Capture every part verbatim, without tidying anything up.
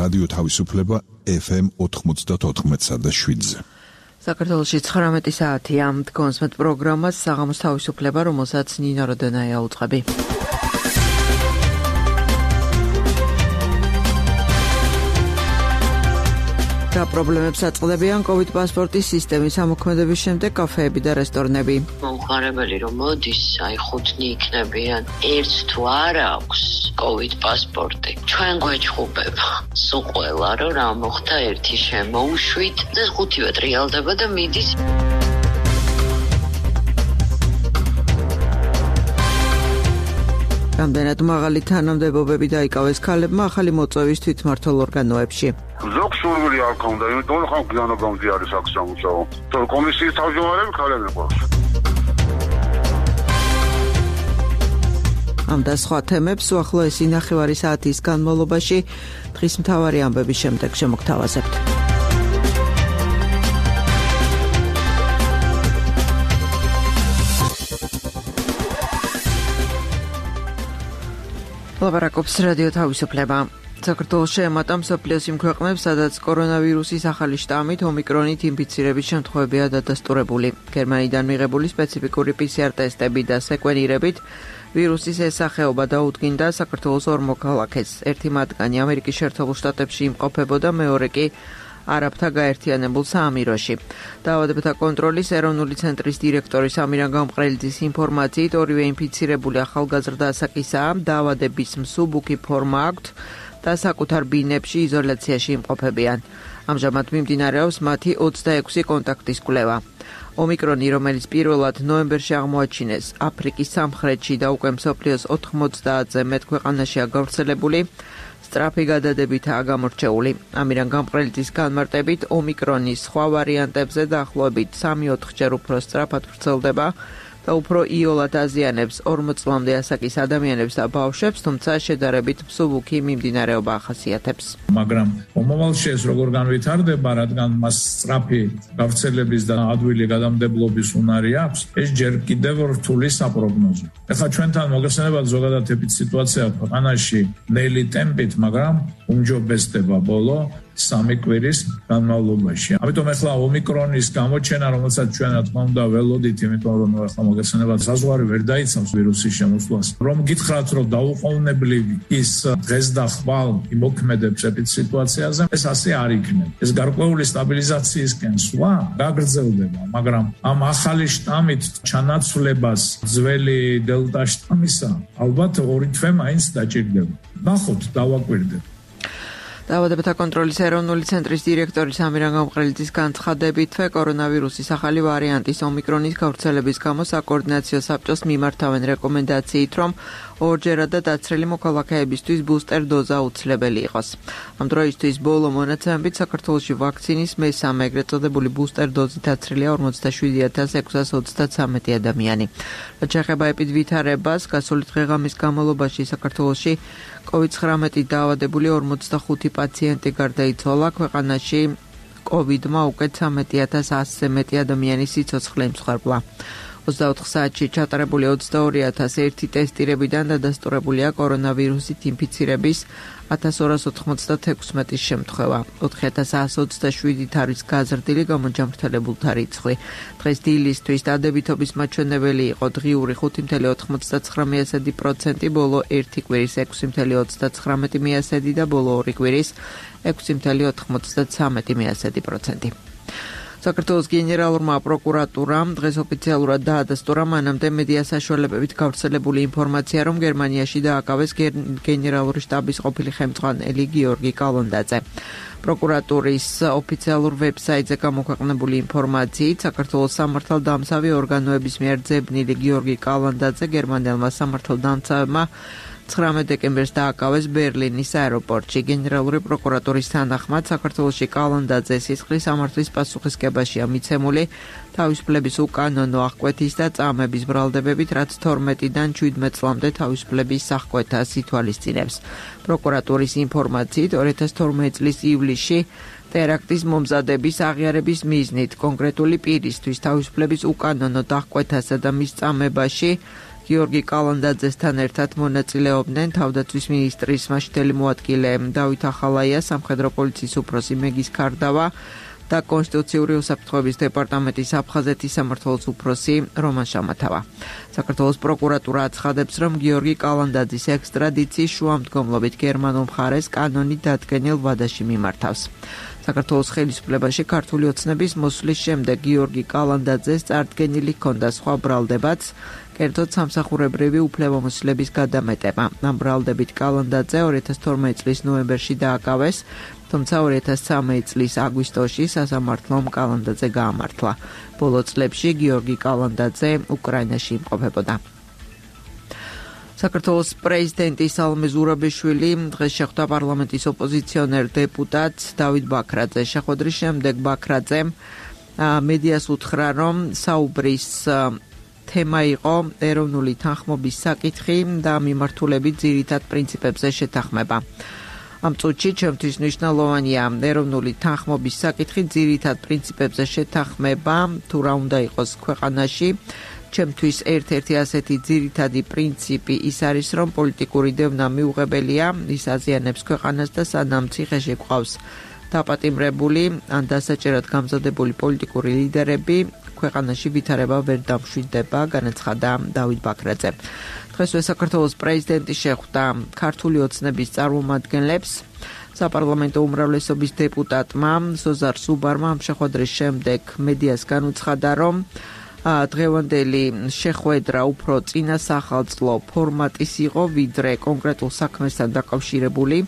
რადიო თავისუფლება ეფ ემ ოთხმოცდაოთხ და შვიდზე. საქართველოში ცხრამეტი საათია. დგონსმეთ პროგრამას საღამოს თავისუფლება, რომელსაც ნინო როდონაია უწყები. და პრობლემებს აწყდებიან COVID პასპორტის სისტემის ამოქმედების შემდეგ კაფეები და რესტორნები. მომხარებელი რომ მოდის, აი ხუთნი იქნებიან. ერთს თუ არ აქვს COVID პასპორტი, ჩვენ გვეჩხუბება. სულ ყველა რომ რა მოხდა ერთი შემოუშვით და ხუთივე ტრიალდება და მიდის. რამდენად მაღალი თანამდებობები დაიკავეს ქალებმა ახალი მოწვევის თვითმმართველ ორგანოებში. ზოგ სურვილი არ ქონდა, იმიტომ რომ ხან გვიანობამდე არის აქ სამუშაო. თორე კომისიის თავმჯდომარები ქალები ყავს. ამ და სხვა თემებს უახლოესი ნახევარი საათის განმავლობაში დღის მთავარი ამბების შემდეგ შემოგთავაზებთ. ლაპარაკობს რადიო თავისუფლება. საქართველოს შეემატა მსოფლიოს იმ ქვეყნებს, სადაც კორონავირუსის ახალი შტამით ომიკრონით ინფიცირების შემთხვევებია დადასტურებული. გერმანიდან მიღებული სპეციფიკური პი სი არ ტესტები და სეკვენირებით ვირუსის ეს სახეობა დაუდგინდა საქართველოს ორ მოქალაქეს. ერთი მათგანი ამერიკის შეერთებულ შტატებში იმყოფებოდა, მეორე კი არაბთა გაერთიანებულ საამიროში. დაავადებათა კონტროლის ეროვნული ცენტრის დირექტორის ამირან გამყრელიძის ინფორმაციით ორივე ინფიცირებული ახალგაზრდა ასაკისაა, დაავადების მსუბუქი ფორმა აქვთ და საკუთარ ბინებში იზოლაციაში იმყოფებიან. ამჟამად მიმდინარეობს მათი ოცდაექვსი კონტაქტის კვლევა. ომიკრონი, რომელიც პირველად ნოემბერში აღმოაჩინეს აფრიკის სამხრეთში და უკვე მსოფლიოს ოთხმოცდაათზე მეტ ქვეყანაშია გავრცელებული, სწრაფი გადადებითაა გამორჩეული. ამირან გამყრელიძის განმარტებით, ომიკრონის სხვა ვარიანტებზე დაახლოებით სამი-ოთხჯერ უფრო სწრაფად ვრცელდება და უფრო იოლად აზიანებს ორმოც წლამდე ასაკის ადამიანებს და ბავშვებს, თუმცა შედარებით მსუბუქი მიმდინარეობა ახასიათებს. მაგრამ მომავალში ეს როგორ განვითარდება, რადგან მას სწრაფი გავრცელების და ადვილი გადამდებლობის უნარი აქვს, ეს ჯერ კიდევ რთული საპროგნოზო. ეხლა ჩვენთან მოგეხსენებათ ზოგადად ეპიდსიტუაცია ქვეყანაში ნელი ტემპით, მაგრამ უმჯობესდება ბოლო სამი კვირის განმავლობაში. ამიტომ ეხლა ომიკრონის გამოჩენა, რომელსაც ჩვენ რა თქმა უნდა ველოდით, იმიტომ რომ ეხლა მოგეხსენებათ საზღვარი ვერ დაიცავს ვირუსის შემოსვლას. რომ გითხრათ, რომ დაუყოვნებლივ ის დღეს და ხვალ იმოქმედებს ეპიდსიტუაციაზე, ეს ასე არ იქნება. ეს გარკვეული სტაბილიზაციისკენ სვლა გაგრძელდება, მაგრამ ამ ახალი შტამით ჩანაცვლებას ძველი დელტა შტამისა ალბათ ორი თვე მაინც დაჭირდება. ნახოთ, დავაკვირდეთ. დაავადებათა კონტროლის ეროვნული ცენტრის დირექტორის ამირან გამყრელიძის განცხადებით, კორონავირუსის ახალი ვარიანტის ომიკრონის გავრცელების გამო საკოორდინაციო საბჭოს მიმართავენ რეკომენდაციით, რომ ორჯერადად დაცრელი მოქალაქეებისთვის ბუსტერ დოზა უცვლებელი იყოს. ამ დროისთვის ბოლო მონაცემებით საქართველოში ვაქცინის მესამე ეგრეთ წოდებული ბუსტერ დოზით დაცრილია ორმოცდაშვიდი ათას ექვსას ოცდათვრამეტი ადამიანი. რაც შეეხება ეპიდვითარებას, გასული დღე-ღამის განმავლობაში საქართველოში კოვიდ ცხრამეტი დაავადებული ორმოცდახუთი პაციენტი გარდაიცვალა. ქვეყანაში კოვიდმა უკვე ცხრამეტი ათას ასზე მეტი ადამიანის სიცოცხლე იმსხვერპლა. ოცდაოთხ საათში ჩატარებული ოცდაორი ათას ერთი ტესტირებიდან დადასტურებულია კორონავირუსით ინფიცირების ათას ორას ოთხმოცდათექვსმეტის შემთხვევა. ოთხი ათას εκατო ოცდაშვიდით არის გაზრდილი გამოჯამრთელებულთა რიცხვი. დღეს დილისთვის დადებითობის მაჩვენებელი იყო დღიური ხუთი წუთი ოთხმოცდათცხრა პროცენტი, ბოლო ერთი კვირის ექვსი წუთი ოცდათხრამეტი პროცენტი და ბოლო ორი კვირის ექვსი წუთი ოთხმოცდათვრამეტი პროცენტი. საქართველოს გენერალურმა პროკურატურამ დღეს ოფიციალურად დაადასტურა მანამდე მედია საშუალებებით გავრცელებული ინფორმაცია, რომ გერმანიაში დააკავეს გენერალური შტაბის ყოფილი ხელმძღვანელი გიორგი კალონდაძე. პროკურატურის ოფიციალურ ვებსაიტზე გამოქვეყნებული ინფორმაციით, საქართველოს სამართალდამცავი ორგანოების მიერ ძებნილი გიორგი კალონდაძე გერმანელმა სამართალდამცავებმა ცხრამეტ დეკემბერს დააკავეს ბერლინის აეროპორტში. გენერალური პროკურატურის თანახმად, საქართველოში კალონდაძე სისხლის სამართლის პასუხისგებაშია მიცემული თავისუფლების უკანონო აღკვეთის და წამების ბრალდებებით, რაც თორმეტიდან შვიდმეტ წლამდე თავისუფლების აღკვეთას ითვალისწინებს. პროკურატურის ინფორმაციით, ორი ათას თორმეტი წლის ივლისში ტერაქტის მომზადების აღიარების მიზნით კონკრეტული პირისთვის თავისუფლების უკანონო დახკვეთასა და მის წამებაში გიორგი კალანდაძესთან ერთად მონაწილეობდნენ თავდაცვის მინისტრის მასშტაბელი მოადგილე დავით ახალაია, სამხედრო პოლიციის უფროსი მეგის ქარდავა და კონსტიტუციური უსაფრთხოების დეპარტამენტის აფხაზეთის სამმართველოს უფროსი რომან შამათავა. საქართველოს პროკურატურა აცხადებს, რომ გიორგი კალანდაძის ექსტრადიციის შუამდგომლობით გერმანულ მხარეს კანონით დადგენილ ვადაში მიმართავს. საქართველოს ხელისუფლებაში ქართული ოცნების მოსვლის შემდეგ გიორგი კალანდაძეს წარდგენილი ჰქონდა სხვა ბრალდებაც, კერძოდ სამსახურებრივი უფლებამოსილების გადამეტება. ამ ბრალდებით კალანდაძე ორი ათას თორმეტი წლის ნოემბერში დააკავეს, თუმცა ორი ათას ცხრამეტი წლის აგვისტოში სასამართლომ კალანდაძე გაამართლა. ბოლო წლებში გიორგი კალანდაძე უკრაინაში იმყოფებოდა. საქართველოს პრეზიდენტი სალომე ზურაბიშვილი დღეს შეხვდა პარლამენტის ოპოზიციონერ დეპუტატ დავით ბაქრაძეს. შეხვედრის შემდეგ ბაქრაძემ მედიას უთხრა, რომ საუბრის თემა იყო ეროვნული თანხმობის საკითხი და მიმართულებით ძირითად პრინციპებზე შეთანხმება. ამ წუთში ჩემთვის მნიშვნელოვანია ეროვნული თანხმობის საკითხი, ძირითად პრინციპებზე შეთანხმება, თუ რა უნდა იყოს ქვეყანაში. ჩემთვის ერთ-ერთი ასეთი ძირითადი პრინციპი ის არის, რომ პოლიტიკური დევნა მიუღებელია, ის აზიანებს ქვეყანას და სანამ ციხეში გვყავს დაპატიმრებული ან დასაჭერად გამზადებული პოლიტიკური ლიდერები, ქვეყანაში ვითარება ვერ დამშვიდდება, განაცხადა დავით ბაქრაძე. დღესვე საქართველოს პრეზიდენტი შეხვდა ქართული ოცნების წარმომადგენლებს. საპარლამენტო უმრავლესობის დეპუტატმა სოზარ სუბარმა ამ შეხვედრის შემდეგ მედიას განუცხადა, რომ დღევანდელი შეხვედრა უფრო წინასახალწლო ფორმატის იყო, ვიდრე კონკრეტულ საქმესთან დაკავშირებული.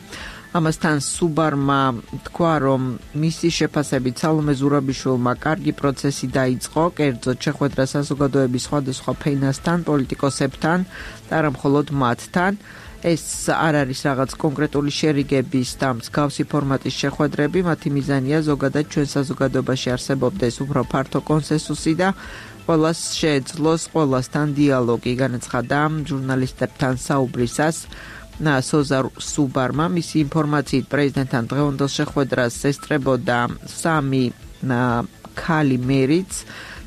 ამასთან სუბარმა თქვა, რომ მისი შეფასებით სალომე ზურაბიშვილმა კარგი პროცესი დაიწყო, კერძოდ შეხვედრა საზოგადოების სხვადასხვა ფენასთან, პოლიტიკოსებთან და არა მხოლოდ მათთან. ეს არ არის რაღაც კონკრეტული შერიგების და მსგავსი ფორმატის შეხვედრები, მათი მიზანია ზოგადად ჩვენ საზოგადოებაში არსებობდეს უფრო ფართო კონსენსუსი და ყველას შეეძლოს ყველასთან დიალოგი, განაცხადა ჟურნალისტებთან საუბრისას სოზარ სუბარმა. მისი ინფორმაციით პრეზიდენტთან დღევანდელ შეხვედრას ესწრებოდა სამი ქალი მერიც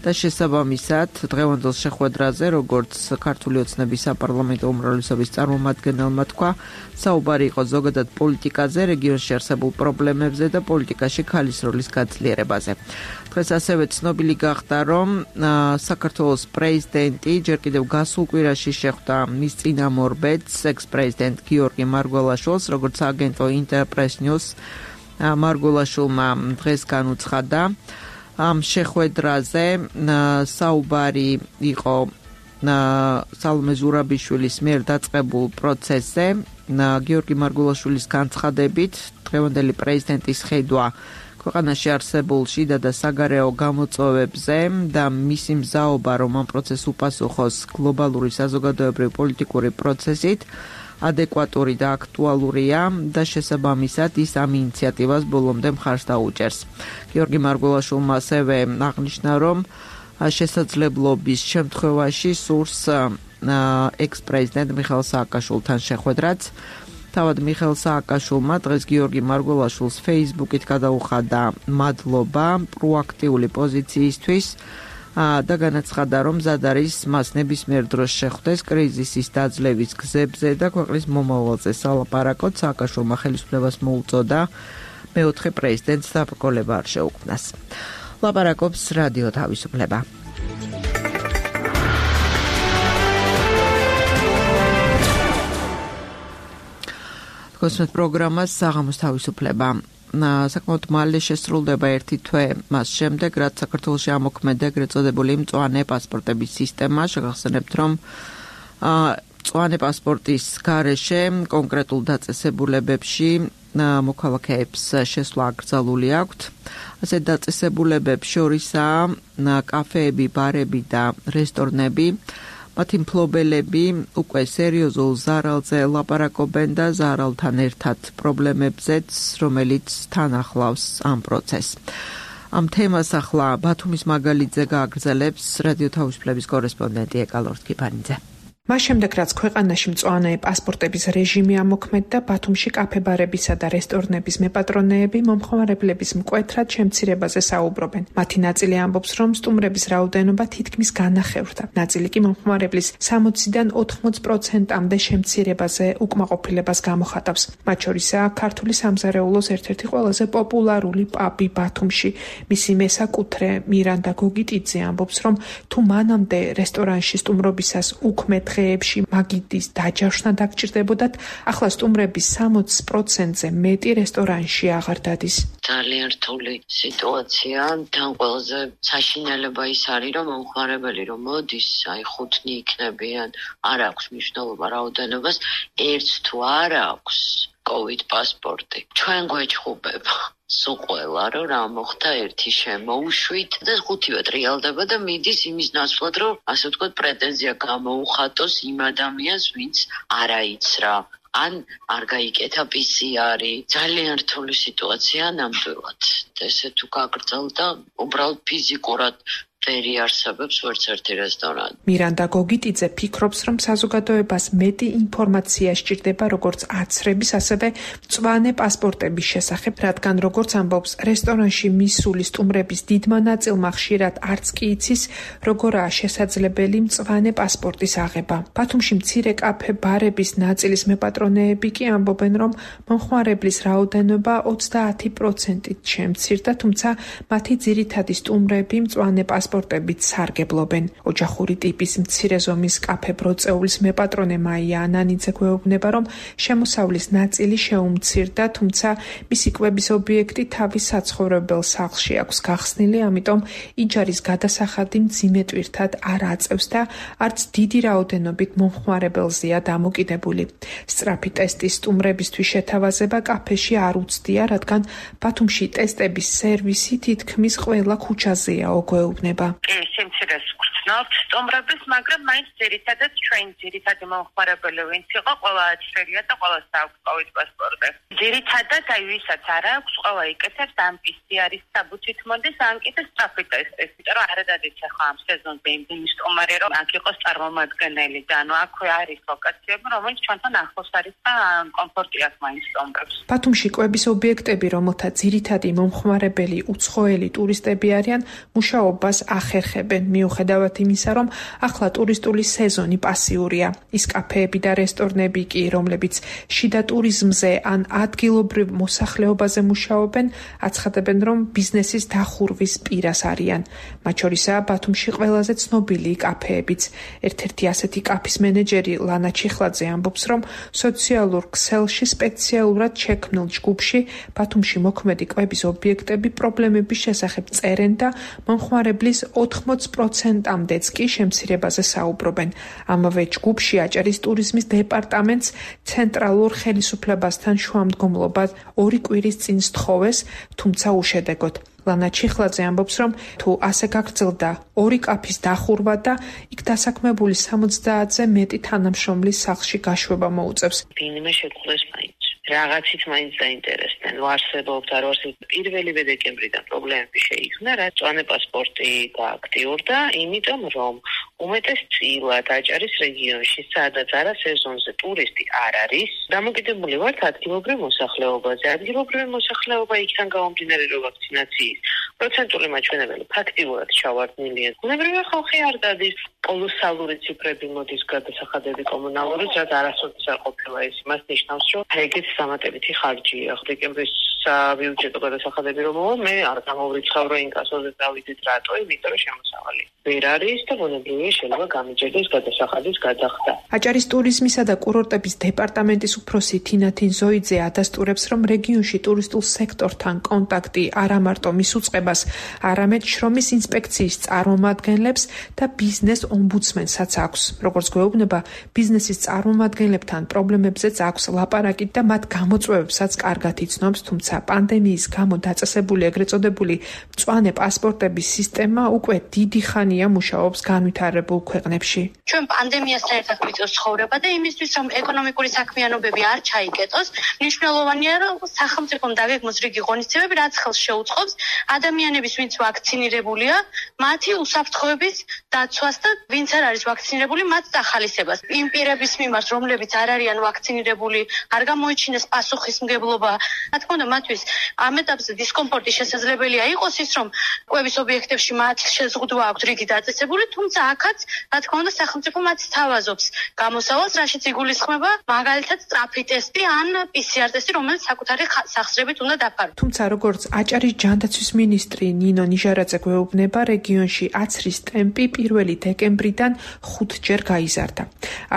და შესაბამისად დღევანდელ შეხვედრაზე, როგორც ქართული ოცნების საპარლამენტო უმრავლესობის წარმომადგენელმა თქვა, საუბარი იყო ზოგადად პოლიტიკაზე, რეგიონში არსებულ პრობლემებზე და პოლიტიკაში ქალის როლის გაძლიერებაზე. დღეს ასევე ცნობილი გახდა, რომ საქართველოს პრეზიდენტი ჯერ კიდევ გასულ კვირაში შეხვდა მის წინამორბედს, ექს-პრეზიდენტ გიორგი მარგველაშვილს, როგორც აგენტო ინტერპრეს ნიუს მარგველაშვილმა დღეს განუცხადა. ამ შეხვედრაზე საუბარი იყო სალომე ზურაბიშვილის მიერ დაწყებულ პროცესზე. გიორგი მარგველაშვილის განცხადებით, დღევანდელი პრეზიდენტის ხედვა ქვეყანაში არსებულ შიდა და საგარეო გამოწვევებზე და მისი მზაობა, რომ ამ პროცესს უპასუხოს გლობალური საზოგადოებრივი პოლიტიკური პროცესით, ადეკვატური და აქტუალურია და შესაბამისად ის ამ ინიციატივას ბოლომდე მხარს დაუჭერს. გიორგი მარგველაშვილმა ასევე აღნიშნა, რომ შესაძლებლობის შემთხვევაში სურს ექს-პრეზიდენტ მიხეილ სააკაშვილთან შეხვედრაც. თავად მიხეილ სააკაშვილმა დღეს გიორგი მარგველაშვილს Facebook-ით გადაუხადა მადლობა პროაქტიული პოზიციისთვის და განაცხადა, რომ მზად არის მას ნებისმიერ დროს შეხვდეს კრიზისის დაძლევის გზებზე და ქვეყნის მომავალზე სალაპარაკოთ. სააკაშვილმა ხელისუფლებას მოუწოდა მეოთხე პრეზიდენტს დაბრკოლება არ შეუქმნას. ლაპარაკობს რადიო თავისუფლება. გოსმეთ პროგრამას საღამოს თავისუფლება. საკმაოდ მალე შესრულდება ერთი თვე მას შემდეგ, რაც საქართველოში ამოქმედა ეგრეთ წოდებული მწვანე პასპორტების სისტემა. შეგახსენებთ, რომ მწვანე პასპორტის გარეშე კონკრეტულ დაწესებულებებში მოქალაქეებს შესვლა აკრძალული აქვთ. ასეთ დაწესებულებებს შორისაა კაფეები, ბარები და რესტორნები. მათი მფლობელები უკვე სერიოზულ ზარალზე ლაპარაკობენ და ზარალთან ერთად პრობლემებზეც, რომელიც თან ახლავს ამ პროცესს. ამ თემას ახლა ბათუმის მაგალითზე გააგრძელებს რადიო თავისუფლების კორესპონდენტი ეკალორთ კიფანიძე. მას შემდეგ, რაც ქვეყანაში მწვანე პასპორტების რეჟიმი ამოქმედდა, ბათუმში კაფე-ბარებისა და რესტორნების მეპატრონეები მომხმარებლების მკვეთრად შემცირებაზე საუბრობენ. მათი ნაწილი ამბობს, რომ სტუმრების რაოდენობა თითქმის განახევრდა. ნაწილი კი მომხმარებლის სამოციდან ოთხმოც პროცენტამდე შემცირებაზე უკმაყოფილებას გამოხატავს. მათ შორისაა ქართული სამზარეულოს ერთ-ერთი ყველაზე პოპულარული პაბი ბათუმში. მისი მესაკუთრე მირანდა გოგიტიძე ამბობს, რომ თუ მანამდე რესტორანში სტუმრობისას უქმე დღეებში მაგიდის დაჯავშნა დაგჭირდებოდათ, ახლა სტუმრების სამოც პროცენტზე მეტი რესტორანში აღარ დადის. ძალიან რთული სიტუაცია. თან ყველაზე საშინელება ის არის, რომ მომხმარებელი რომ მოდის, აი ხუთნი იქნებიან, არ აქვს მნიშვნელობა რაოდენობას, ერთს თუ არ აქვს COVID პასპორტი. ჩვენ გვეჭხუბება სულ ყველა, რომ რა მოხდა ერთი შემოუშვით და ხუთივე ტრიალდება და მიდის იმის ნაცვლად, რომ ასე ვთქვათ, პრეტენზია გამოუხატოს იმ ადამიანს, ვინც არ აიცრა. ან არ გაიკეთა პი სი არი. ძალიან რთული სიტუაცია ნამდვილად. ესე თუ გაგრძელდა, უბრალოდ ფიზიკურად ვერ იარსებებს ვერც ერთი რესტორანი. მირანდა გოგიტიძე ფიქრობს, რომ საზოგადოებას მეტი ინფორმაცია სჭირდება როგორც აცრების, ასევე მწვანე პასპორტების შესახებ, რადგან როგორც ამბობს, რესტორანში მისული სტუმრების დიდმა ნაწილმა ხშირად არც კი იცის, როგორაა შესაძლებელი მწვანე პასპორტის აღება. ბათუმში მცირე კაფე-ბარების ნაწილის მეპატრონეები კი ამბობენ, რომ მომხმარებლის რაოდენობა ოცდაათი პროცენტით შემცირდა, თუმცა მათი ძირითადი სტუმრები მწვანე პასპორტის პასპორტებით სარგებლობენ. ოჯახური ტიპის მცირე ზომის კაფე ბროწეულის მეპატრონე მაია ანანიძე გვეუბნება, რომ შემოსავლის ნაწილი შეუმცირდა, თუმცა მისი კვების ობიექტი თავის საცხოვრებელ სახლში აქვს გახსნილი, ამიტომ იჯარის გადასახადი მძიმე ტვირთად არ აწევს და არც დიდი რაოდენობით მომხმარებელზეა დამოკიდებული. სწრაფი ტესტის სტუმრებისთვის შეთავაზება კაფეში არ უცდია, რადგან ბათუმში ტესტების სერვისი თითქმის ყველა ქუჩაზეა, გვეუბნება. კი, სიმცირეს ვგრძნობთ სტუმრების, მაგრამ მაინც ძირითადად ჩვენ ძირითადი მომხმარებელი ვინც იყო, ყველა აცრელია და ყველას აქვს COVID პასპორტი. ძირითადად აი ვისაც არ აქვს, ყველა იკეთებს ამ პი სი არის საბუთით მოდის, ან კიდე სწრაფი ტესტის, იმიტომ რომ არ ადადეთ ახლა ამ სეზონზე იმდენი სტუმარი, რომ აქ იყოს წარმომადგენელი და ანუ აქვე არის ლოკაციები, რომელიც ჩვენთან ახლოს არის და კომფორტი აქვს მაინც სტუმრებს. ბათუმში კვების ობიექტები, რომელთა ძირითადი მომხმარებელი უცხოელი ტურისტები არიან, მუშაობას ახერხებენ, მიუხედავად იმისა, რომ ახლა ტურისტული სეზონი პასიურია. ის კაფეები და რესტორნები კი, რომლებიც შიდა ტურიზმზე ან ადგილობრივ მოსახლეობაზე მუშაობენ, აცხადებენ, რომ ბიზნესის დახურვის პირას არიან. მათ შორისაა ბათუმში ყველაზე ცნობილი კაფეებიც. ერთ-ერთი ასეთი კაფის მენეჯერი ლანა ჩიხლაძე ამბობს, რომ სოციალურ ქსელში სპეციალურად შექმნილ ჯგუფში ბათუმში მოქმედი კვების ობიექტები პრობლემების შესახებ წერენ და მომხმარებლის ოთხმოც პროცენტამდეც კი შემცირებაზე საუბრობენ. ამავე ჯგუფში აჭარის ტურიზმის დეპარტამენტს ცენტრალურ ხელისუფლებასთან შუამდგომლობა ორი კვირის წინ სთხოვეს, თუმცა უშედეგოდ. ლანა ჩიხლაძე ამბობს, რომ თუ ასე გაგრძელდა ორი კაფის დახურვა და იქ დასაქმებული სამოცდაათზე მეტი თანამშრომლის სახლში გაშვება მოუწევს. ვინმე შექმნეს მაინც. რაღაცით მაინც დაინტერესდნენ. ვარსებობდა, რომ პირველივე დეკემბრიდან პრობლემები შეიქმნა, რაც მწვანე პასპორტი გააქტიურდა, იმიტომ რომ უმეტესწილად აჭარის რეგიონში, სადაც არა სეზონზე ტურისტი არ არის, დამოკიდებული ვართ ადგილობრივ მოსახლეობაზე. ადგილობრივი მოსახლეობა იქიდან გამომდინარე, რომ ვაქცინაციის პროცენტული მაჩვენებელი ფაქტიურად ჩავარდნილია. ბუნებრივია ხალხი არ დადის. კოლოსალური ციფრები მოდის გადასახადები კომუნალურიც, რაც არასოდეს არ ყოფილა. ეს იმას ნიშნავს, რომ ეგეც დამატებითი ხარჯია. დეკემბრის საბიუჯეტო გადასახადები რომ მოვა, მე არ გამოვრიცხავ, რომ ინკასოზე დავიდეთ რატო, იმიტომ რომ შემოსავალი ვერ არის და ბუნებრივია შეიძლება გამიჯერდეს გადასახადის გადახდა. აჭარის ტურიზმისა და კურორტების დეპარტამენტის უფროსი თინათინ ზოიძე ადასტურებს, რომ რეგიონში ტურისტულ სექტორთან კონტაქტი არა მარტო მის უწყებას, არამედ შრომის ინსპექციის წარმომადგენლებს და ბიზნეს ომბუდსმენსაც აქვს. როგორც გვეუბნება, ბიზნესის წარმომადგენლებთან პრობლემებზეც აქვს ლაპარაკი და მათ გამოწვევებსაც კარგად იცნობს, თუმცა პანდემიის გამო დაწესებული ეგრეთ წოდებული მწვანე პასპორტების სისტემა უკვე დიდი ხანია მუშაობს განვითარებულ ქვეყნებში. ჩვენ პანდემიასთან ერთად გვიწევს ცხოვრება და იმისთვის, რომ ეკონომიკური საქმიანობები არ ჩაიკეტოს, მნიშვნელოვანია, რომ სახელმწიფომ დაგეგმოს რიგი ღონისძიებები, რაც ხელს შეუწყობს ადამიანების, ვინც ვაქცინირებულია, მათი უსაფრთხოების დაცვას და ვინც არ არის ვაქცინირებული, მათ დახალისებას. იმ პირების მიმართ, რომლებიც არ არიან ვაქცინირებული, არ გამოიჩინეს პასუხისმგებლობა. რა თქმა უნდა, მათთვის ამ ეტაპზე დისკომფორტი შესაძლებელია იყოს ის, რომ კვების ობიექტებში მათ შეზღუდვა აქვთ რიგი დაწესებული, თუმცა აქაც, რა თქმა უნდა, სახელმწიფო მათ სთავაზობს გამოსავალს, რაშიც იგულისხმება მაგალითად სწრაფი ტესტი ან პი სი არ ტესტი, რომელიც საკუთარი სახსრებით უნდა დაფაროს. თუმცა როგორც აჭარის ჯანდაცვის მინისტრი ნინო ნიჟარაძე გვეუბნება, რეგიონში აცრის ტემპი პირველი დეკემბრიდან ხუთჯერ გაიზარდა.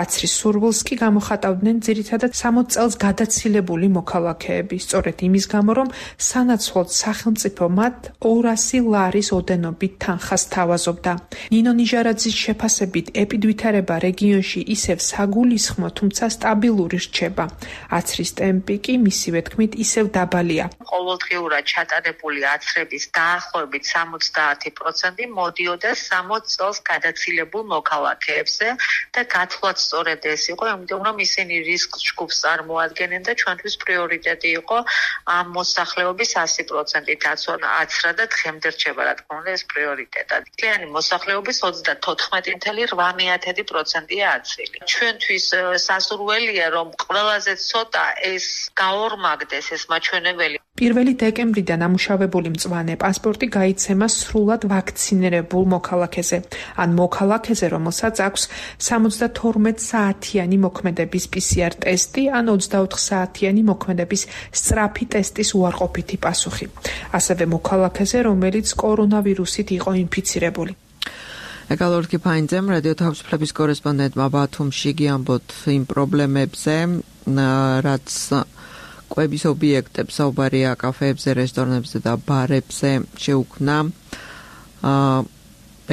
აცრის სურვილს კი გამოხატავდნენ ძირითადად სამოც წელს გადაცილებული მოქალაქეები, სწორედ იმის გამო, რომ სანაცვლოდ სახელმწიფო მათ ორასი ლარის ოდენობით თანხას თავაზობდა. ნინო ნიჟარაძის შეფასებით ეპიდვითარება რეგიონში ისევ საგულისხმო, თუმცა სტაბილური რჩება. აცრის ტემპი კი მისივე თქმით ისევ დაბალია. ყოველდღიურად ჩატარებული აცრების დაახლოებით სამოცდაათი პროცენტი მოდიოდა სამოც წელს გადაცილებულ მოქალაქეებზე და გათვლაც სწორედ ეს იყო, იმიტომ რომ ისინი რისკ ჯგუფს წარმოადგენენ და ჩვენთვის პრიორიტეტი იყო ამ მოსახლეობის ასი პროცენტი დაცვა აცრა და დღემდე რჩება, რა თქმა უნდა, ეს პრიორიტეტად. მთლიანი მოსახლეობის ოცდათოთხმეტი კoma ორი პროცენტია აცრილი. ჩვენთვის სასურველია, რომ ყველაზე ცოტა ეს გაორმაგდეს ეს მაჩვენებელი. პირველი დეკემბრიდან ამუშავებული მწვანე პასპორტი გაიცემა სრულად ვაქცინირებულ მოქალაქეზე, ან მოქალაქეზე, რომელსაც აქვს სამოცდათორმეტ საათიანი მოქმედების პი სი არ ტესტი, ან ოცდაოთხ საათიანი მოქმედების სწრაფი ტესტის უარყოფითი პასუხი. ასევე მოქალაქეზე, რომელიც კორონავირუსით იყო ინფიცირებული. ეკალორკი ფაინძემ რადიო თავისუფლების კორესპონდენტმა ბათუმში გიამბოთ იმ პრობლემებზე, რაც კვების ობიექტებს, საუბარია კაფეებზე, რესტორნებზე და ბარებზე შეუქმნა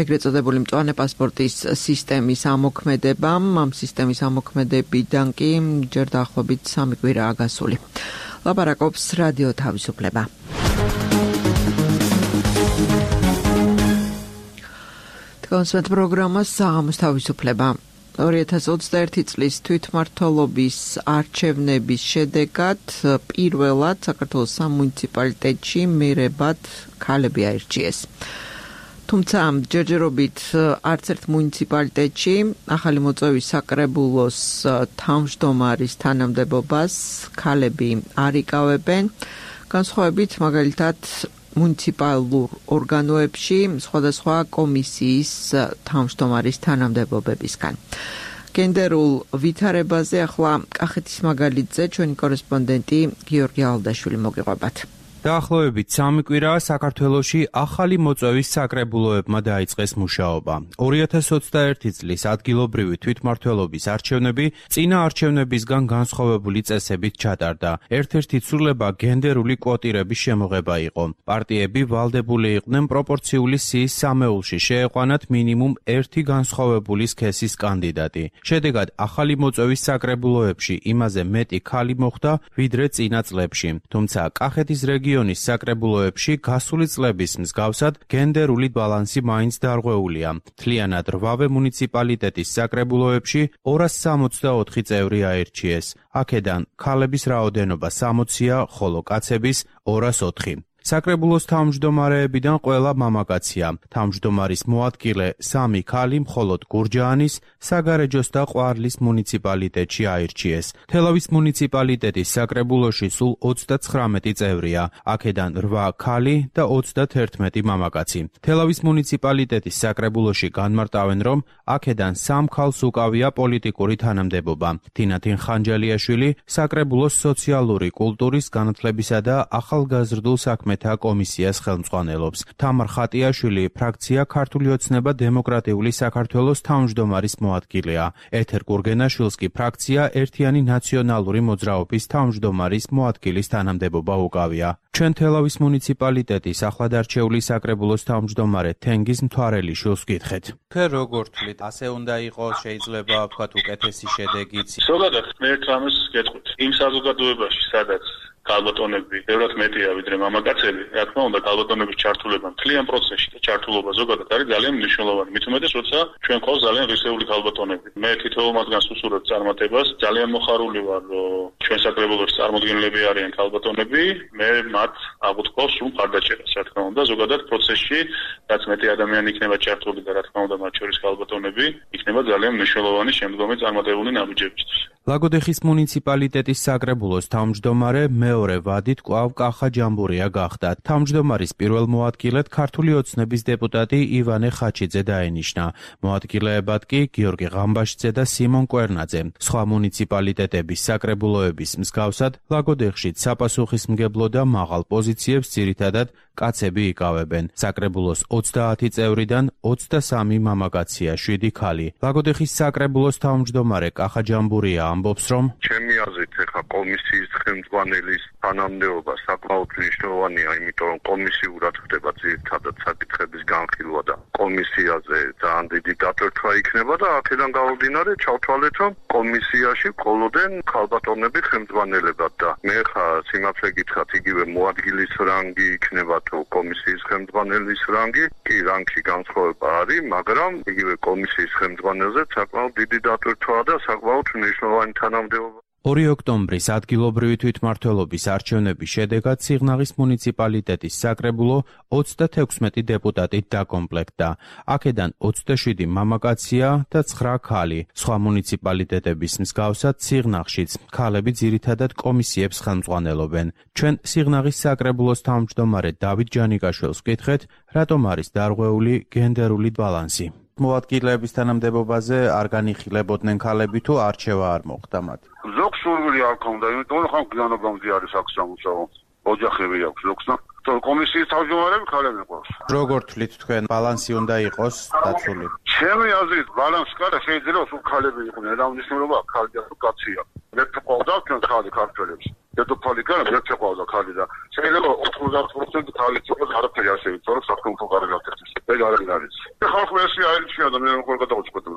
ეგრეთ წოდებული მწვანე პასპორტის სისტემის ამოქმედებამ. ამ სისტემის ამოქმედებიდან კი ჯერ დაახლოებით სამი კვირაა გასული. ლაპარაკობს რადიო თავისუფლება. კონსვერტ პროგრამა საღამოს თავისუფლება. ორი ათას ოცდაერთი წლის თვითმმართველობის არჩევნების შედეგად პირველად საქართველოს სამუნიციპალიტეტში მერებად ქალები აირჩიეს. თუმცა ჯერჯერობით არც ერთ მუნიციპალიტეტში ახალი მოწვევის საკრებულოს თავმჯდომარის თანამდებობას ქალები არ იკავებენ, განსხვავებით მაგალითად მუნიციპალურ ორგანოებში სხვადასხვა კომისიის თავმჯდომარის თანამდებობებისგან. გენდერულ ვითარებაზე ახლა კახეთის მაგალითზე ჩვენი კორესპონდენტი გიორგი ალდაშვილი მოგიყვებათ. დაახლოებით სამი კვირაა საქართველოში ახალი მოწვევის საკრებულოებმა დაიწყეს მუშაობა. ორი ათას ოცდაერთი წლის ადგილობრივი თვითმმართველობის არჩევნები წინა არჩევნებისგან განსხვავებული წესებით ჩატარდა. ერთ-ერთი ცვლილება გენდერული კვოტირების შემოღება იყო. პარტიები ვალდებული იყვნენ პროპორციული სიის სამეულში შეეყვანათ მინიმუმ ერთი განსხვავებული სქესის კანდიდატი. შედეგად ახალი მოწვევის საკრებულოებში იმაზე მეტი ქალი მოხვდა, ვიდრე წინა წლებში. თუმცა კახეთის რეგიონის რეგიონის საკრებულოებში გასული წლების მსგავსად გენდერული ბალანსი მაინც დარღვეულია. მთლიანად რვავე მუნიციპალიტეტის საკრებულოებში ორას სამოცდაოთხი წევრი აირჩიეს. აქედან ქალების რაოდენობა სამოცია, ხოლო კაცების ორას ოთხი. საკრებულოს თავმჯდომარეებიდან ყველა მამაკაცია. თავმჯდომარის მოადგილე სამი ქალი მხოლოდ გურჯაანის, საგარეჯოს და ყვარლის მუნიციპალიტეტში აირჩიეს. თელავის მუნიციპალიტეტის საკრებულოში სულ ოცდაცხრამეტი წევრია, აქედან რვა ქალი და ოცდათერთმეტი მამაკაცი. თელავის მუნიციპალიტეტის საკრებულოში განმარტავენ, რომ აქედან სამ ქალს უკავია პოლიტიკური თანამდებობა. თინათინ ხანჯალიაშვილი საკრებულოს სოციალური კულტურის განათლებისა და ახალგაზრდულ საქმეთა კომისიას ხელმძღვანელობს. თამარ ხატიაშვილი ფრაქცია ქართული ოცნება დემოკრატიული საქართველოს თავმჯდომარის მოადგილეა. ეთერ გურგენაშვილს კი ფრაქცია ერთიანი ნაციონალური მოძრაობის თავმჯდომარის მოადგილის თანამდებობა უკავია. ჩვენ თელავის მუნიციპალიტეტის ახლადარჩეული საკრებულოს თავმჯდომარე თენგიზ მთვარელიშვილს ვკითხეთ. თქვენ როგორ თვლით, ასე უნდა იყოს, შეიძლება ვთქვათ უკეთესი შედეგიც? ზოგადად ერთ რამეს გეტყვით. იმ საზოგადოებაში, სადაც ქალბატონები ბევრად მეტია ვიდრე მამაკაცები, გადაცემი, რა თქმა უნდა, ქალბატონების ჩართულობა მთლიან პროცესში და ჩართულობა ზოგადად არის ძალიან მნიშვნელოვანი. მით უმეტეს, როცა ჩვენ ყავს ძალიან ღირსეული ქალბატონები. მე თითოეულ მათგანს უსურვებ წარმატებას. ძალიან მოხარული ვარ, რომ ჩვენ საკრებულოში წარმოდგენილები არიან ქალბატონები. მე მათ აღუთქვავს სულ მხარდაჭერას, რა თქმა უნდა, ზოგადად პროცესში, რაც მეტი ადამიანი იქნება ჩართული და რა თქმა უნდა, მათ შორის ქალბატონები, იქნება ძალიან მნიშვნელოვანი შემდგომი წარმატებული ნაბიჯებისთვის. ლაგოდეხის მუნიციპალიტეტის საკრებულოს თავმჯდომარე მეორე ვადით კვლავ კახა ჯამბურია გახდა. თავმჯდომარის პირველ მოადგილედ ქართული ოცნების დეპუტატი ივანე ხაჩიძე დაენიშნა. მოადგილეებად კი გიორგი ღამბაშიძე და სიმონ კვერნაძე. სხვა მუნიციპალიტეტების საკრებულოების მსგავსად ლაგოდეხშიც საპასუხისმგებლო და მაღალ პოზიციებს ძირითადად კაცები იკავებენ. საკრებულოს ოცდაათი წევრიდან ოცდასამი მამაკაცია, შვიდი ქალი. ლაგოდეხის საკრებულოს თავმჯდომარე კახა ჯამბურია ამბობს, რომ ჩემი აზრით ეხა კომისიის ხელმძღვანელის თანამდებობა საკმაოდ მნიშვნელოვანია, იმიტომ რომ კომისიურად ხდება ძირითადად საკითხების განხილვა და კომისიაზე ძალიან დიდი დატვირთვა იქნება და აქედან გამომდინარე ჩავთვალეთ, რომ კომისიაში ყოლოდენ ქალბატონები ხელმძღვანელებად და მე ხა სიმართლე გითხრათ, იგივე მოადგილის რანგი იქნება თუ კომისიის ხელმძღვანელის რანგი, კი რანგში განსხვავება არის, მაგრამ იგივე კომისიის ხელმძღვანელზე საკმაოდ დიდი დატვირთვაა და საკმაოდ მნიშვნელოვანი თანამდებობა. ორი ოქტომბრის ადგილობრივი თვითმმართველობის არჩევნების შედეგად სიღნაღის მუნიციპალიტეტის საკრებულო ოცდათექვსმეტი დეპუტატით დაკომპლექტდა. აქედან ოცდაშვიდი მამაკაცია და ცხრა ქალი. სხვა მუნიციპალიტეტების მსგავსად სიღნაღშიც ქალები ძირითადად კომისიებს ხელმძღვანელობენ. ჩვენ სიღნაღის საკრებულოს თავმჯდომარე დავით ჯანიკაშვილს ვკითხეთ, რატომ არის დარღვეული გენდერული ბალანსი. მოადგილეების თანამდებობაზე არ განიხილებოდნენ ქალები თუ არჩევა არ მოხდა მათ? ზოგ სურვილი არ ქონდა, იმიტომ რომ ხან გვიანობამდე არის აქ სამუშაო. ოჯახები აქვს ზოგს და კომისიის თავმჯდომარები ქალები ყავს. როგორ თვლით თქვენ ბალანსი უნდა იყოს დაცული? ჩემი აზრით ბალანსი კარა შეიძლება სულ ქალები იყვნენ, რა მნიშვნელობა აქვს ქალია თუ კაცია. მე ვყავდა ჩვენ ხალი ქართველებს. დედოფალი კარა მე ვყავდა ქალი და შეიძლება ოთხმოცდაათ პროცენტი ქალიც იყოს, არაფერი არ შევიცვალო საქართველოს გარეგანთებს. ეგ არ არის. ხალხი ესე აირჩია და მე როგორ გადავწყვეტო.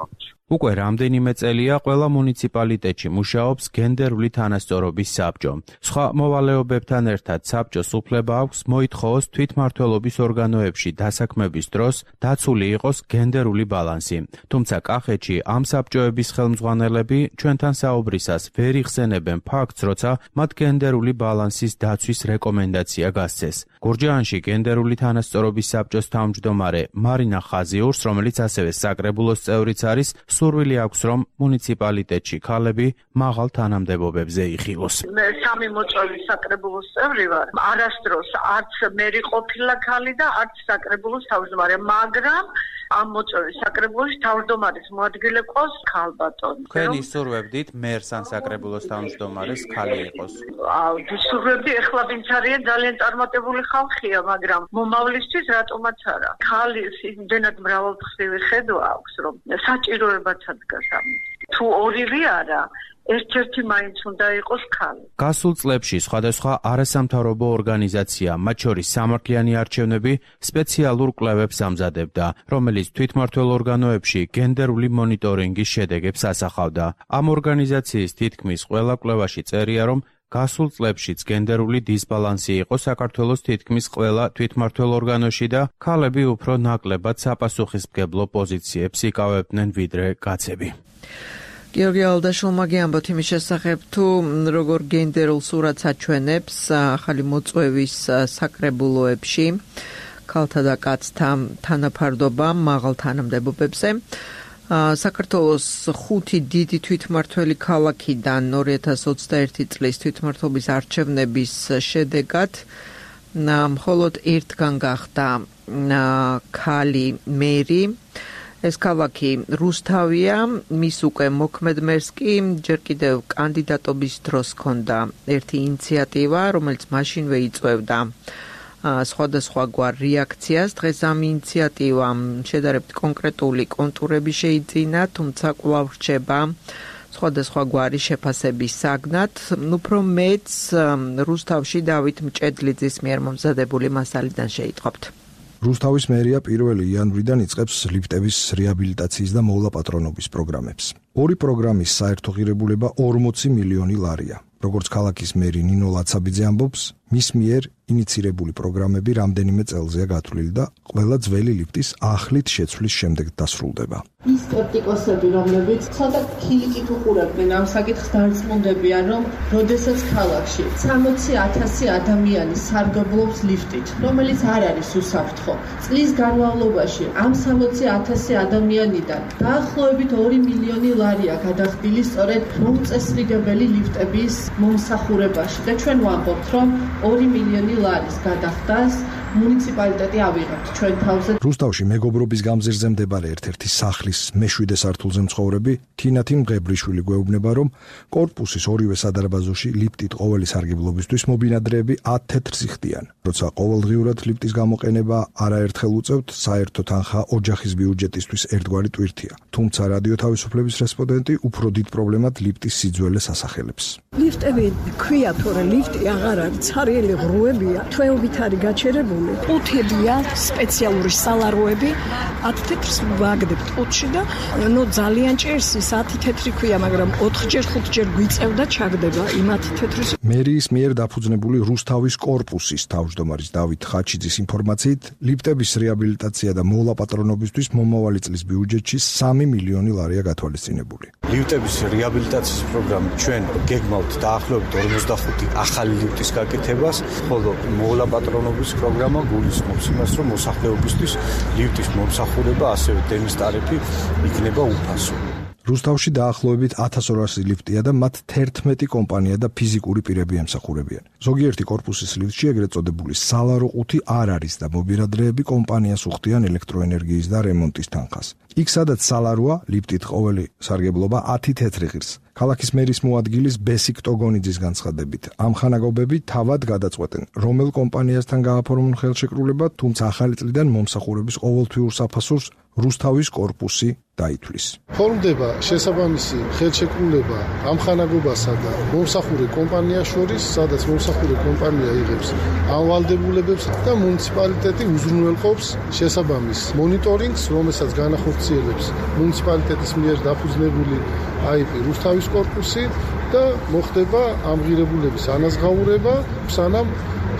უკვე რამდენიმე წელია ყველა მუნიციპალიტეტში მუშაობს გენდერული თანასწორობის საბჭო. სხვა მოვალეობებთან ერთად საბჭოს უფლება აქვს მოითხოვოს თვითმმართველობის ორგანოებში დასაქმების დროს დაცული იყოს გენდერული ბალანსი. თუმცა კახეთში ამ საბჭოების ხელმძღვანელები ჩვენთან საუბრისას ვერ იხსენებენ ფაქტს, როცა მათ გენდერული ბალანსის დაცვის რეკომენდაცია გასცეს. გურჯაანში გენდერული თანასწორობის საბჭოს თავმჯდომარე მარინა ხაზიურს, რომელიც ასევე საკრებულოს წევრიც არის, სურვილი აქვს, რომ მუნიციპალიტეტში ქალები მაღალ თანამდებობებზე იხილოს. მე სამი მოწვევის საკრებულოს წევრი ვარ. არასდროს არც მერი ყოფილა ქალი და არც საკრებულოს თავმჯდომარე, მაგრამ ამ მოწვევის საკრებულოში თავმჯდომარის მოადგილე ყავს ქალბატონი. თქვენ ისურვებდით მერს ან საკრებულოს თავმჯდომარეს ქალი იყოს? აუ, ვისურვებდი, ეხლა ვინც არიან ძალიან წარმატებული ხალხია, მაგრამ მომავლისთვის რატომაც არა. ქალის იმდენად მრავალფრთივი ხედვა აქვს, რომ საჭიროებაცაც დგას ამის. თუ ორივე არა, ერთ-ერთი მაინც უნდა იყოს ქალი. გასულ წლებში სხვადასხვა არასამთავრობო ორგანიზაცია, მათ შორის სამართლიანი არჩევნები, სპეციალურ კვლევებს ამზადებდა, რომელიც თვითმმართველ ორგანოებში გენდერული მონიტორინგის შედეგებს ასახავდა. ამ ორგანიზაციის თითქმის ყველა კვლევაში წერია, რომ გასულ წლებშიც გენდერული დისბალანსი იყო საქართველოს თითქმის ყველა თვითმმართველ ორგანოში და ქალები უფრო ნაკლებად საპასუხისმგებლო პოზიციებს იკავებდნენ ვიდრე კაცები. გიორგი ალდაშვილმა გიამბოთ იმის შესახებ, თუ როგორ გენდერულ სურათს აჩვენებს ახალი მოწვევის საკრებულოებში ქალთა და კაცთა თანაფარდობა მაღალ თანამდებობებზე. საქართველოს ხუთი დიდი თვითმმართველი ქალაქიდან ორი ათას ოცდაერთი წლის თვითმმართველობის არჩევნების შედეგად მხოლოდ ერთგან გახდა ქალი მერი. ეს ქალაქი რუსთავია, მის უკვე მოქმედ მერს კი ჯერ კიდევ კანდიდატობის დროს ჰქონდა ერთი ინიციატივა, რომელიც მაშინვე იწვევდა სხვადასხვაგვარ რეაქციას. დღეს ამ ინიციატივამ შედარებით კონკრეტული კონტურები შეიძინა, თუმცა კვლავ რჩება სხვადასხვაგვარი შეფასების საგნად. უფრო მეც რუსთავში დავით მჭედლიძის მიერ მომზადებული მასალიდან შეიტყობთ. რუსთავის მერია პირველი იანვრიდან იწყებს ლიფტების რეაბილიტაციის და მოვლაპატრონობის პროგრამებს. ორი პროგრამის საერთო ღირებულება ორმოცი მილიონი ლარია. როგორც ქალაქის მერი ნინო ლაცაბიძე ამბობს, მის მიერ ინიცირებული პროგრამები რამდენიმე წელზეა გათვლილი და ყველა ძველი ლიფტის ახლით შეცვლის შემდეგ დასრულდება. ის სკეპტიკოსები, რომლებიც ცოტა ქილიკით უყურებდნენ ამ საკითხს, დარწმუნდებიან, რომ როდესაც ქალაქში სამოცი ათასი ადამიანი სარგებლობს ლიფტით, რომელიც არ არის უსაფრთხო. წლის განმავლობაში ამ სამოცი ათასი ადამიანიდან დაახლოებით ორი მილიონი ლარია გადახდილი სწორედ მომწესრიგებელი ლიფტების მომსახურებაში და ჩვენ ვამბობთ, რომ ორი მილიონი ლარის გადახდას მუნიციპალიტეტი ავიღებთ ჩვენ თავზე. რუსთავში მეგობრობის გამზირზე მდებარე ერთ-ერთი სახლის მეშვიდე სართულზე მცხოვრები თინათი მღებრიშვილი გვეუბნება, რომ კორპუსის ორივე სადარბაზოში ლიფტით ყოველი სარგებლობისთვის მობინადრეები ათ თეთრს იხდიან. როცა ყოველდღიურად ლიფტის გამოყენება არაერთხელ უწევთ, საერთო თანხა ოჯახის ბიუჯეტისთვის ერთგვარი ტვირთია. თუმცა რადიო თავისუფლების რესპონდენტი უფრო დიდ პრობლემად ლიფტის სიძველეს ასახელებს. ლიფტები ქვია, თორე ლიფტი აღარ არის, ცარიელი ღრუებია, თვეობით არის გაჩერებული. ყუთებია, სპეციალური სალაროები, ათ თეთრს ვაგდებთ ყუთში და ნუ ძალიან ჭერს ის ათი თეთრი ქვია, მაგრამ ოთხჯერ ხუთჯერ გვიწევდა ჩაგდება იმ ათი თეთრის. მერიის მიერ დაფუძნებული რუსთავის კორპუსის თავმჯდომარის დავით ხაჩიძის ინფორმაციით, ლიფტების რეაბილიტაცია და მოლაპატრონობისთვის მომავალი წლის ბიუჯეტში სამი მილიონი ლარია გათვალისწინებული. ლიფტების რეაბილიტაციის პროგრამა ჩვენ გეგმავთ დაახლოებით ორმოცდახუთი ახალი ლიფტის გაკეთებას, ხოლო მოლაპატრონობის პროგრამა გულისხმობს იმას, რომ მოსახლეობისთვის ლიფტის მომსახურება, ასევე დენის ტარიფი იქნება უფასო. რუსთავში დაახლოებით ათას ორასი ლიფტია და მათ თერთმეტი კომპანია და ფიზიკური პირები ემსახურებიან. ზოგიერთი კორპუსის ლიფტში ეგრეთ წოდებული სალარო ყუთი არ არის და მობინადრეები კომპანიას უხდიან ელექტროენერგიის და რემონტის თანხას. იქ სადაც სალაროა, ლიფტით ყოველი სარგებლობა ათი თეთრი ღირს. ქალაქის მერის მოადგილის ბესიკ ტოგონიძის განცხადებით, ამ ხანაგობები თავად გადაწყვეტენ, რომელ კომპანიასთან გააფორმონ ხელშეკრულება, თუმცა ახალი წლიდან მომსახურების ყოველთვიურ საფასურს რუსთავის კორპუსი დაითვლის. ფორმდება შესაბამისი ხელშეკრულება ამ ხანაგობასა და მომსახურე კომპანიას შორის, სადაც მომსახურე კომპანია იღებს ამ ვალდებულებებს და მუნიციპალიტეტი უზრუნველყოფს შესაბამის მონიტორინგს, რომელსაც განახორციელებს მუნიციპალიტეტის მიერ დაფუძნებული აი პი რუსთავის კორპუსი და მოხდება ამ ღირებულების ანაზღაურება, სანამ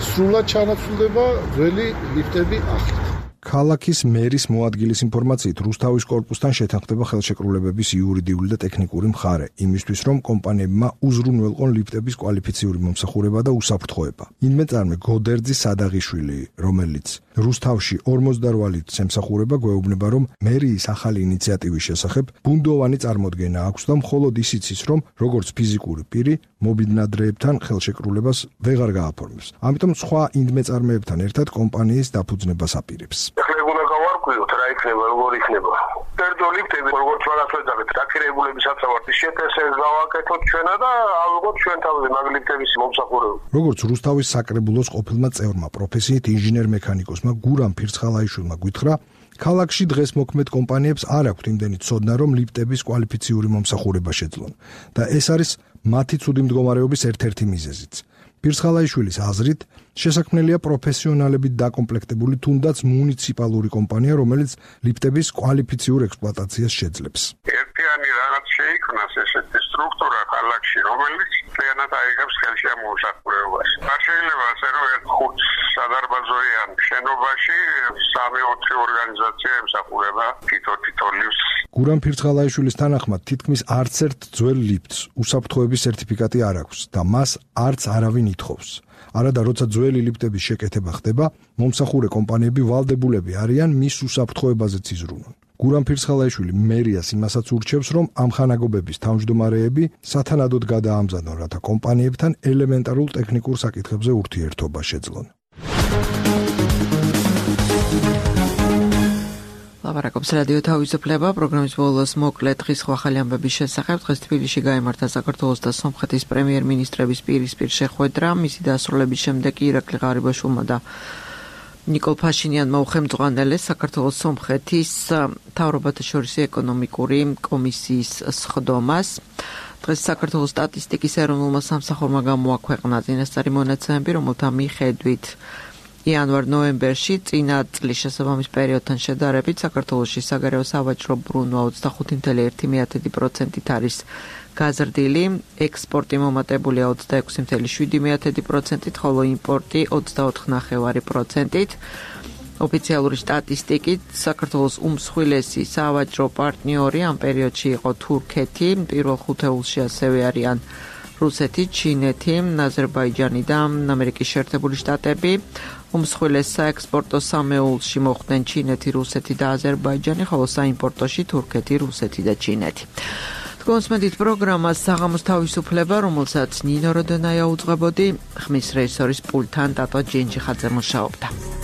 სრულად ჩანაცვლდება ძველი ლიფტები ახლით. ქალაქის მერის მოადგილის ინფორმაციით, რუსთავის კორპუსთან შეთანხმდება ხელშეკრულებების იურიდიული და ტექნიკური მხარე, იმისთვის რომ კომპანიებმა უზრუნველყონ ლიფტების კვალიფიციური მომსახურება და უსაფრთხოება. ინმეწარმე გოდერძი სადაღიშვილი, რომელიც რუსთავში ორმოცდაორ ლიფტს ემსახურება, გვეუბნება, რომ მერიის ახალი ინიციატივის შესახებ ბუნდოვანი წარმოდგენა აქვს და მხოლოდ ისიც ის, რომ როგორც ფიზიკური პირი მობინადრეებთან ხელშეკრულებას ვეღარ გააფორმებს. ამიტომ სხვა ინდმეწარმეებთან ერთად კომპანიის დაფუძნებას აპირებს. ეხლა უნდა გავარკვიოთ რა იქნება, როგორ იქნება. ერთო ლიფტები, როგორც ვარას ვეძახეთ, დაქირავებულების საცავართვის შეტესეს გავაკეთოთ ჩვენა და ალბათ ჩვენ თავზე მაგ ლიფტების მომსახურება. როგორც რუსთავის საკრებულოს ყოფილმა წევრმა პროფესიით ინჟინერ-მექანიკოსმა გურამ ფირცხალაიშვილმა გითხრა, ქალაქში დღეს მოქმედ კომპანიებს არ აქვთ იმდენი ცოდნა, რომ ლიფტების კვალიფიციური მომსახურება შეძლონ და ეს არის მათი ცუდი მდგომარეობის ერთ-ერთი მიზეზიც. ფირცხალაიშვილის აზრით, შესაქმნელია პროფესიონალებით დაკომპლექტებული თუნდაც მუნიციპალური კომპანია, რომელიც ლიფტების კვალიფიციურ ექსპლუატაციას შეძლებს. ერთიანი რაღაც შეიქმნას ესეთი სტრუქტურა ქალაქში, რომელიც მთლიანად აიღებს ხელში ამ მომსახურებას. არ შეიძლება ასე რომ ერთ ხუთ სადარბაზოიან შენობაში სამი-ოთხი ორგანიზაცია ემსახურება თითო-თითო ლიფტს. გურამ ფირცხალაიშვილის თანახმად, თითქმის არც ერთ ძველ ლიფტს უსაფრთხოების სერტიფიკატი არ აქვს და მას არც არავინ ითხოვს. არადა როცა ძველი ლიფტების შეკეთება ხდება, მომსახურე კომპანიები ვალდებულები არიან მის უსაფრთხოებაზეც იზრუნონ. გურამ ფირცხალაიშვილი მერიას იმასაც ურჩევს, რომ ამ ხანაგობების თავმჯდომარეები სათანადოდ გადაამზადონ, რათა კომპანიებთან ელემენტარულ ტექნიკურ საკითხებზე ურთიერთობა შეძლონ. ლაპარაკობს რადიო თავისუფლება, პროგრამის ბოლოს მოკლე დღის ახალი ამბების შესახებ. დღეს თბილისში გაიმართა საქართველოს და სომხეთის პრემიერ-მინისტრების პირისპირ შეხვედრა. მისი დასრულების შემდეგ ირაკლი ღარიბაშვილმა და ნიკოლ ფაშინიანმა უხელმძღვანელეს საქართველოს სომხეთის მთავრობათა შორის ეკონომიკური კომისიის სხდომას. დღეს საქართველოს სტატისტიკის ეროვნულმა სამსახურმა გამოაქვეყნა წინასწარი მონაცემები, რომელთა მიხედვით იანვარ-ნოემბერში წინა წლის შესაბამის პერიოდთან შედარებით საქართველოში საგარეო სავაჭრო ბრუნვა ოცდახუთი კoma ერთი პროცენტით არის გაზრდილი, ექსპორტი მომატებულია ოცდაექვსი კoma შვიდი პროცენტით, ხოლო იმპორტი ოცდაოთხი კoma ნახევარი პროცენტით. ოფიციალური სტატისტიკით საქართველოს უმსხვილესი სავაჭრო პარტნიორი ამ პერიოდში იყო თურქეთი, პირველ ხუთეულში ასევე არიან რუსეთი, ჩინეთი, აზერბაიჯანი და ამერიკის შეერთებული შტატები. უმსხვილეს საექსპორტო სამეულში მოხვდნენ ჩინეთი, რუსეთი და აზერბაიჯანი, ხოლო საიმპორტოში თურქეთი, რუსეთი და ჩინეთი. კონსმედით პროგრამას საღამოს თავისუფლება, რომელსაც ნინო როდენაია უძღვებოდი, ხმის რეჟისორის პულტთან ტატო ჯენჯიხაძე მუშაობდა.